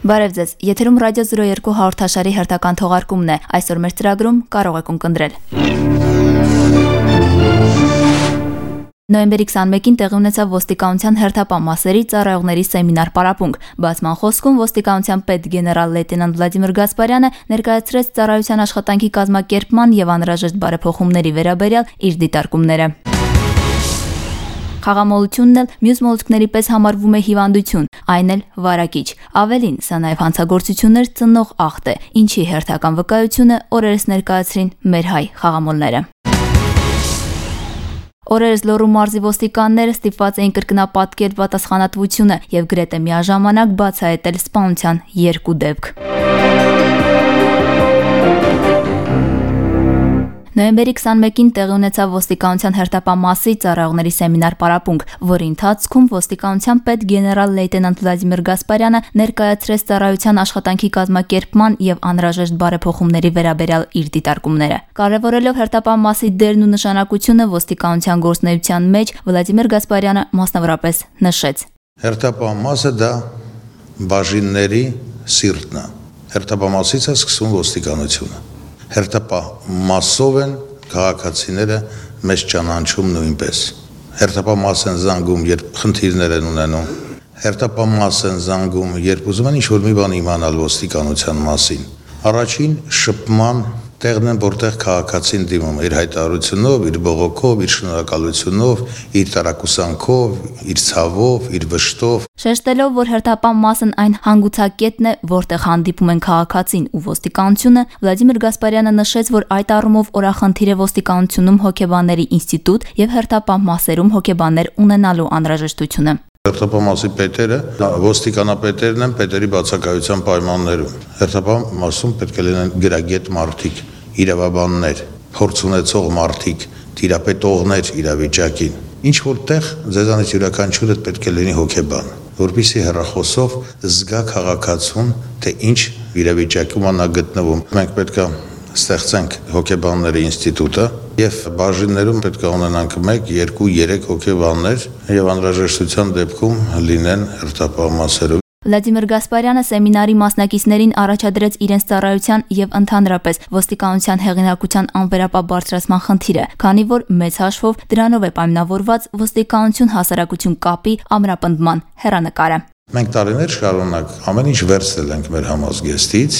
Բարև ձեզ, եթերում ռադիո 02 հաղորդաշարի հերթական թողարկումն է, այսօր մեր ծրագրում կարող եք ունկնդրել։ Նոյեմբերի 21-ին տեղի ունեցավ ոստիկանության հերթապահ մասերի ծառայողների սեմինար պարապմունք։ Բացման խոսքում ոստիկանության պետ գեներալ լեյտենանտ Վլադիմիր Գասպարյանը ներկայացրեց ծառայության աշխատանքի կազմակերպման եւ անհրաժեշտ բարեփոխումների վերաբերյալ իր դիտարկումները։ Խաղամոլությունն էլ մյուս մոլուցքների պես համարվում է հիվանդություն, այն էլ վարակիչ։ Ավելին, սա նաև հանցագործություններ ծնող աղտ է, ինչի հերթական վկայությունը օրերս ներկայացրին մեր հայ խաղամոլները։ Օրերս Լոռու մարզի ոստիկանները ստիպված էին կրկնապատկել պատասխանատվությունը եւ գրեթե միաժամանակ բացահայտել սպանության 2 դեպք։ Նոյեմբերի 21-ին տեղի ունեցավ ոստիկանության հերթապահ մասի ծառայողների սեմինար պարապմունք, որի ընթացքում ոստիկանության պետ գեներալ լեյտենանտ Վլադիմիր Գասպարյանը ներկայացրեց ծառայության աշխատանքի կազմակերպման եւ անհրաժեշտ բարեփոխումների վերաբերյալ իր դիտարկումները։ Կարևորելով հերթապահ մասի դերն ու նշանակությունը ոստիկանության գործունեության մեջ, Վլադիմիր Գասպարյանը մասնավորապես նշեց. Հերթապահ մասը դա բաժինների սիրտն է։ Հերթապահ մասից է սկսվում ոստիկանությունը։ Հերթապահ մասով են քաղաքացիները մեզ ճանաչում նույնպես։ Հերթապահ մաս են զանգում, երբ խնդիրներ են ունենում։ Հերթապահ մաս են զանգում, երբ ուզում են ինչ-որ մի բան իմանալ ոստիկանության մասին։ Առաջին շփման տեղն են, որտեղ քաղաքացին դիմում իր հայտարարությունով, իր բողոքով, իր շնորհակալությունով, իր տարակուսանքով, իր ցավով, իր վշտով։ Շեշտելով, որ հերթապահ մասն այն հանգուցակետն է, որտեղ հանդիպում են քաղաքացին ու ոստիկանությունը, Վլադիմիր Գասպարյանը նշեց, որ այդ առումով օրախնդիր է ոստիկանությունում հոգեբանների ինստիտուտ եւ հերթապահ մասերում հոգեբաններ ունենալու անհրաժեշտությունը։ Հերթապահ մասի պետերը ոստիկանապետերն են պետերի բացակայության պայմաններում։ Հերթապահ մասում պետք է լինեն գրագետ մարդիկ, իրավաբաններ, փորձ ունեցող մարդիկ, տիրապետողներ իրավիճակին։ Ինչ որտեղ ձեզանից յուրաքանչյուրը պետք է լինի հոգեբան, որպեսզի հեռախոսով զգա քաղաքացուն, թե ինչ իրավիճակում նա գտնվում։ Մենք պետք է ստեղծենք հոգեբանների ինստիտուտը եւ բաժիններում պետք է ունենանք 1, 2, 3 հոգեբաններ եւ անհրաժեշտության դեպքում լինեն հերթապահ մասերով։ Վլադիմիր Գասպարյանը սեմինարի մասնակիցներին առաջադրեց իրենց ծառայության եւ ընդհանրապես ոստիկանության հեղինակության անվերապահ բարձրացման խնդիրը, քանի որ մեծ հաշվով դրանով է պայմանավորված ոստիկանություն հասարակություն կապի ամրապնդման հեռանկարը։ Մենք տարիներ շարունակ ամեն ինչ վերցրել ենք մեր համազգեստից,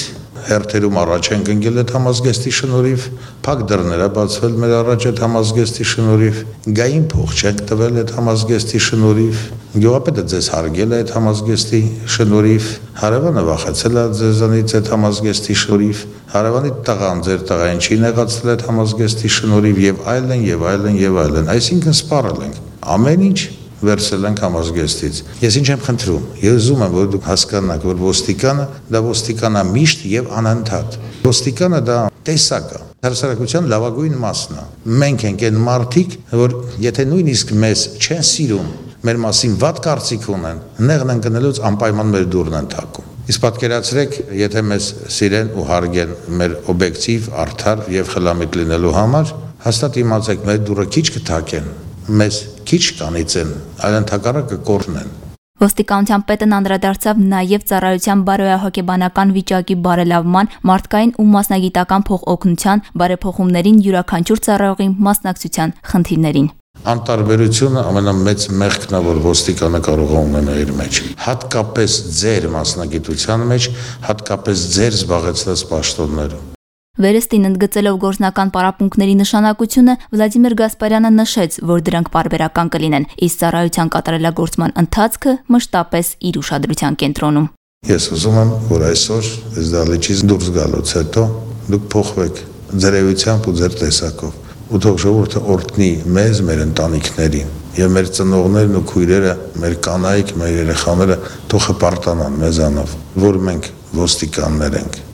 հերթերում առաջ ենք ընկել այդ համազգեստի շնորհիվ, փակ դռներ է բացվել մեր առաջ այդ համազգեստի շնորհիվ, գային փող չենք տվել այդ համազգեստի շնորհիվ, գյուղապետը ձեզ հարգել է այդ համազգեստի շնորհիվ, հարևանը վախեցել է ձեզանից այդ համազգեստի շնորհիվ, հարևանի տղան ձեր տղային չի նեղացել այդ համազգեստի շնորհիվ եւ այլն եւ այլն եւ այլն, այսինքն սպառել ենք ամեն ինչ վերցել ենք համազգեստից։ Ես ինչ եմ խնդրում, ես ուզում եմ, որ դուք հասկանաք, որ ոստիկանը դա ոստիկանամիշտ եւ անընդհատ։ Ոստիկանը դա տեսակ է, հասարակության լավագույն մասն է։ Մենք ենք այն մարդիկ, որ եթե նույնիսկ մեզ չեն սիրում, մեր մասին վատ կարծիք ունեն, նեղն ընկնելուց անպայման մեր դուռն են թակում։ Իսկ պատկերացրեք, եթե մեզ սիրեն ու հարգեն մեր օբյեկտիվ, արդար եւ խելամիտ լինելու համար, հաստատ իմացեք, մեր դուռը քիչ կթակեն, մեզ քիչ կանիցեն, այլ ընդհակառակը կորնեն։ Ոստիկանության պետն անդրադարձավ նաև ծառայության բարոյահոգեբանական վիճակի բարելավման, մարդկային ու մասնագիտական փոխօգնության, բարեփոխումներին յուրաքանչյուր ծառայողի մասնակցության խնդիրներին։ Անտարբերությունը ամենամեծ մեղքն է, որ ոստիկանը կարող է ունենալ իր մեջ։ Հատկապես ձեր մասնագիտության մեջ, հատկապես ձեր զբաղեցրած պաշտոններում։ Վերստին ընդգծելով գործնական պարապմունքների նշանակությունը, Վլադիմիր Գասպարյանը նշեց, որ դրանք պարբերական կլինեն, իսկ ծառայության կատարելագործման ընթացքը մշտապես իր ուշադրության կենտրոնում։ Ես ուզում եմ, որ այսօր այս դահլիճից դուրս գալուց հետո դուք փոխվեք ձեր էությամբ ու ձեր տեսակով, ու թող ժողովուրդը օրհնի մեզ, մեր ընտանիքներին, եւ մեր ծնողներն ու քույրերը, մեր կանայք, մեր երեխաները թող հպարտանան մեզանով, որ մենք ոստիկաններ ենք։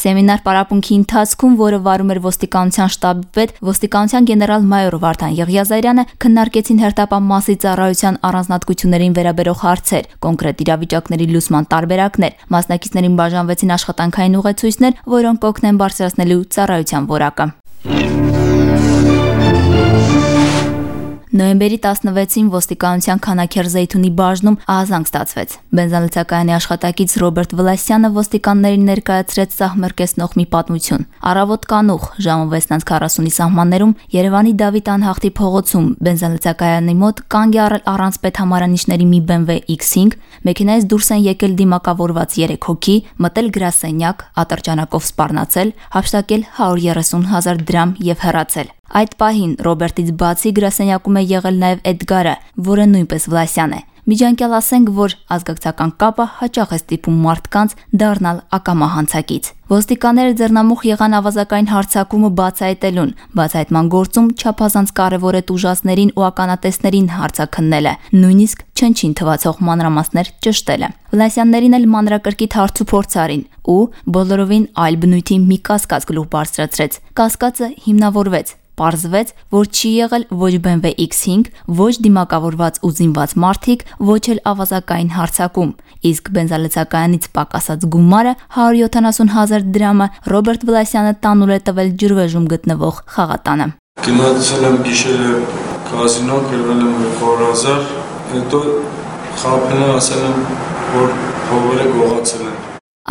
Սեմինար պարապմունքի ընթացքում, որը վարում էր ոստիկանության շտաբի պետ, ոստիկանության գեներալ-մայոր Վարդան Եղիազարյանը, քննարկեցին հերթապահ մասի ծառայության առանձնահատկություններին վերաբերող հարցեր, կոնկրետ իրավիճակների լուծման տարբերակներ, մասնակիցներին բաժանվեցին աշխատանքային ուղեցույցներ, որոնք կօգնեն բարձրացնելու ծառայության որակը։ Նոյեմբերի 16-ին ոստիկանության Քանաքեռ Զեյթունի բաժնում ահազանգ ստացվեց։ Բենզալցակայանի աշխատակից Ռոբերտ Վլասյանը ոստիկաններին ներկայացրեց սահմռկեցնող մի պատմություն։ Առավոտ կանուխ ժամը 6:40-ի սահմաններում Երևանի Դավիթ անհախտի փողոցում բենզալցակայանի մոտ կանգ է առել առանց պետհամարանիշների մի BMW X5, մեքենայից դուրս են եկել դիմակավորված 3 հոգի, մտել գրասենյակ, ատրճանակով սպառնացել, հափշտակել 130,000 դրամ եւ հեռացել։ Այդ պահին Ռոբերտից բացի գրասենյակում է եղել նաև Էդգարը, որը նույնպես Վլասյան է։ Միջանկյալ ասենք, որ ազգակցական կապը հաճախ է ստիպում մարդկանց դառնալ ակամա հանցակից։ Ոստիկանները ձեռնամուխ եղան ավազակային հարձակումը բացահայտելուն։ Բացահայտման գործում չափազանց կարևոր է տուժածներին ու ականատեսներին հարցաքննելը, նույնիսկ չնչին թվացող մանրամասներ ճշտելը։ Վլասյաններին էլ մանրակրկիտ հարցուփորձ արին ու բոլորովին այլ բնույթի մի կասկած գլուխ բարձրացրեց։ Կասկածը հիմնավորվեց։ Պարզվեց, որ չի եղել ոչ BMW X5, ոչ դիմակավորված ու զինված մարդիկ, ոչ էլ ավազակային հարձակում։ Իսկ բենզալցակայանից պակասած գումարը 170,000 դրամը Ռոբերտ Վլասյանը տանուլ է տվել ջրվեժում գտնվող խաղատանը։ Գնացել եմ գիշերը կազինո, գրվել եմ 100,000, հետո խաբել եմ, ասել եմ, որ փողերը գողացել են։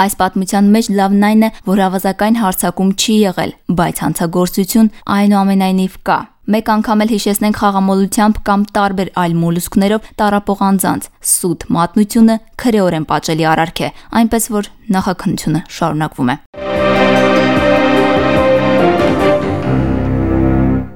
Այս պատմության մեջ լավն այն է, որ ավազակային հարձակում չի եղել, բայց հանցագործություն այնուամենայնիվ կա։ Մեկ անգամ էլ հիշեցնենք խաղամոլությամբ կամ տարբեր այլ մոլուսկներով տառապող անձանց սուտ մատնությունը քրեորեն պատժելի արարք է, այնպես որ նախաքննությունը շարունակվում է։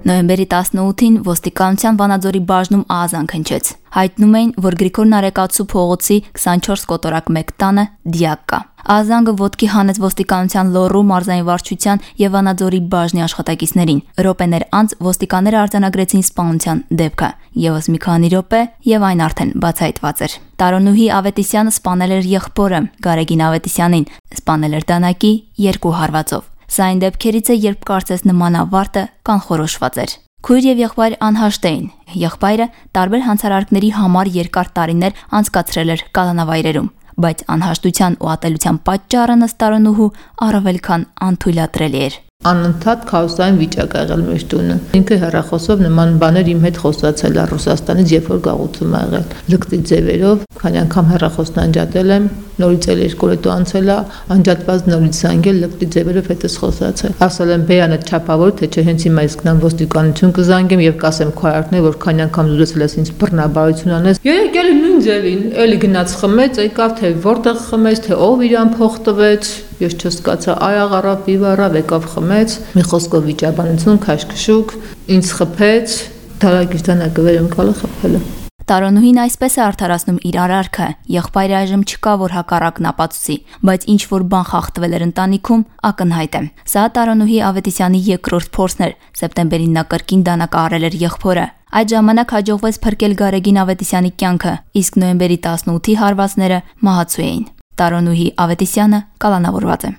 Նոյեմբերի 18-ին ոստիկանության Վանաձորի բաժնում ահազանգ հնչեց։ Հայտնում էին, որ Գրիգոր Նարեկացու փողոցի 24 կոտորակ 1 տանը դիակ կա։ Ահազանգը ոտքի հանեց ոստիկանության Լոռու մարզային վարչության եւ Վանաձորի բաժնի աշխատակիցներին։ Րոպեներ անց ոստիկանները արձանագրեցին սպանության դեպքը։ Եվս մի քանի րոպե եւ այն արդեն բացահայտված էր։ Տարոնուհի Ավետիսյանը սպանել էր եղբորը Գարեգին Ավետիսյանին, սպանել էր դանակի 2 հարվածով։ Սա այն դեպքերից է, երբ կարծես նման ավարտը կանխորոշված էր։ Քույր եւ եղբայր անհաշտ էին։ Եղբայրը տարբեր հանցարարքների համար երկար տարիներ անցկացրել էր կալանավայրերում, բայց անհաշտության ու ատելության պատճառը ըստ Տարոնուհու առավել քան անթույլատրելի էր։ Անընդհատ քաոսային վիճակ ա եղել մեր տունը։ Ինքը հեռախոսով նման բաներ իմ հետ խոսացել է Ռուսաստանից, երբ որ գաղութում ա եղել։ Լկտի ձևերով, քանի անգամ հեռախոսն անջատել եմ, նորից էլ 2 օր անցել է, անջատված նորից զանգել, լկտի ձևերով հետս խոսացել։ Ասել եմ բեյանը չափավոր, թե չէ հենց հիմա իսկ նամ ոստիկանություն կզանգեմ եւ կասեմ քարարտներ, որ քանի անգամ զրուցել ես ինձ բռնաբարություն անես։ Եկել նույն ձևին, էլի գնաց խմեց, եկավ թե որտեղ խմեց, թե ով իրան փող տվեց։ Ես չսկացա, այ աղարավ, բիվարավ, եկավ խմեց, մի խոսքով վիճաբանություն, քաշքշուկ, ինձ խփեց, դարագիրտանակը ընկալը խփել է։ Տարոնուհին այսպես է արդարացնում իր արարքը։ Եղբայրը այժմ չկա, որ հակառակն ապացուցի, բայց ինչ որ բան խախտվել էր ընտանիքում, ակնհայտ է։ Սա Տարոնուհի Ավետիսյանի երկրորդ փորձն էր։ Սեպտեմբերին նա կրկին դանակ առել էր եղբորը։ Այդ ժամանակ հաջողվեց փրկել Գարեգին Ավետիսյանի կյանքը, իսկ նոյեմբերի 18-ի հարվածները մահացու էին։ Տարոնուհի Ավետիսյանը կալանավորված է։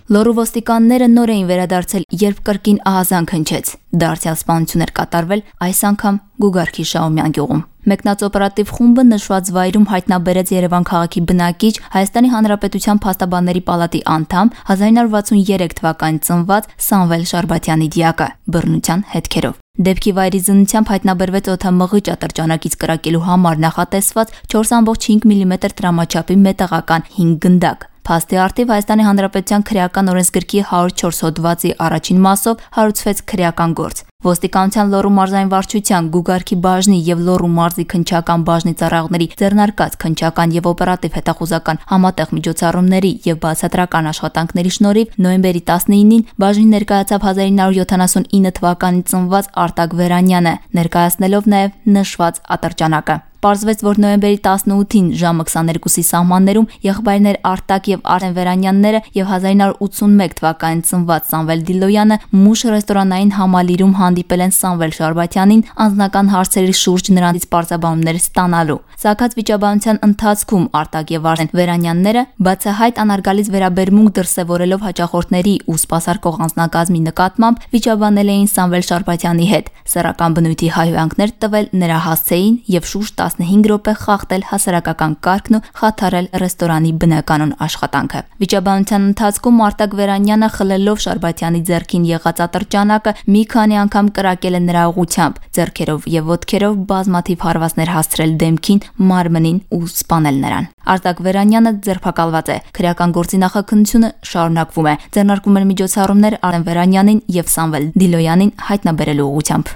Լոռու ոստիկանները նոր էին վերադարձել, երբ կրկին ահազանգ հնչեց։ Դարձյալ սպանություն էր կատարվել այս անգամ Գուգարքի Շահումյան գյուղում։ Մեկնած օպերատիվ խումբը նշված վայրում հայտնաբերեց Երևան քաղաքի բնակիչ, Հայաստանի Հանրապետության Փաստաբանների պալատի անդամ, 1963 թվականին ծնված Սամվել Շարբաթյանի դիակը, բռնության հետքերով։ Դեպքի վայրի զննությամբ հայտնաբերվեց օդամղիճ ատրճանակից կրակելու համար նախատեսված 4.5 մմ տրամաչափի մետաղական 5 գնդակ։ Փաստի առթիվ Հայաստանի Հանրապետության քրեական օրենսգրքի 104 հոդվածի առաջին մասով հարուցվեց քրեական գործ։ Ոստիկանության Լոռու մարզային վարչության, Գուգարքի բաժնի եւ Լոռու մարզի քննչական բաժնի ծառայողների ձեռնարկած քննչական եւ օպերատիվ հետախուզական համատեղ միջոցառումների եւ բացատրական աշխատանքների շնորհիվ նոյեմբերի 19-ին բաժնին ներկայացավ 1979 թվականին ծնված Արտակ Վերանյանը, ներկայացնելով նաեւ նշված ատրճանակը։ Պարզվեց, որ նոյեմբերի 18-ին ժամը 22-ի սահմաններում եղբայրներ Արտակ եւ Արեն Վերանյանները եւ 1981 թվականին ծնված Սամվել Դիլոյանը մուշ ռեստորանային համալիրում հանդիպել են Սամվել Շարբաթյանին անձնական հարցերի շուրջ նրանից պարզաբանումներ ստանալու։ Սակած վիճաբանության ընթացքում Արտակ եւ Արեն Վերանյանները բացահայտ անարգալից վերաբերմունք դրսևորելով հաճախորդների ու սպասարկող անձնակազմի նկատմամբ վիճաբանել էին Սամվել Շարբաթյանի հետ, սեռական բնույթի հայհոյանքներ տվել նրա հասցեին եւ շուրջ 15 րոպե խախտել հասարակական կարգն ու խաթարել ռեստորանի բնականոն աշխատանքը։ Վիճաբանության ընթացքում Արտակ Վերանյանը խլելով Շարբաթյանի ձեռքին եղած ատրճանակը մի քանի անգամ կրակել է նրա ուղղությամբ, ձեռքերով եւ ոտքերով բազմաթիվ հարվածներ հասցրել դեմքին, մարմնին ու սպանել նրան։ Արտակ Վերանյանը ձերբակալված է։ Քրեական գործի նախաքննությունը շարունակվում է։ Ձեռնարկվում են միջոցառումներ Արեն Վերանյանին եւ Սամվել Դիլոյանին հայտնաբերելու ուղղությամբ։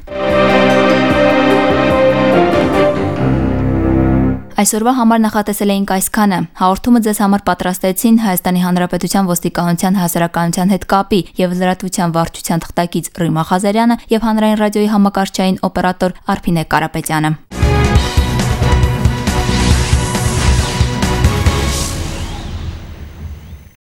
Այսօրվա համար նախատեսել էինք այսքանը։ Հաղորդումը ձեզ համար պատրաստեցին Հայաստանի Հանրապետության ոստիկանության հասարակայնության հետ կապի եւ լրատվության վարչության թղթակից Ռիմա Ղազարյանը եւ հանրային ռադիոյի համակարգչային օպերատոր Արփինե Կարապետյանը։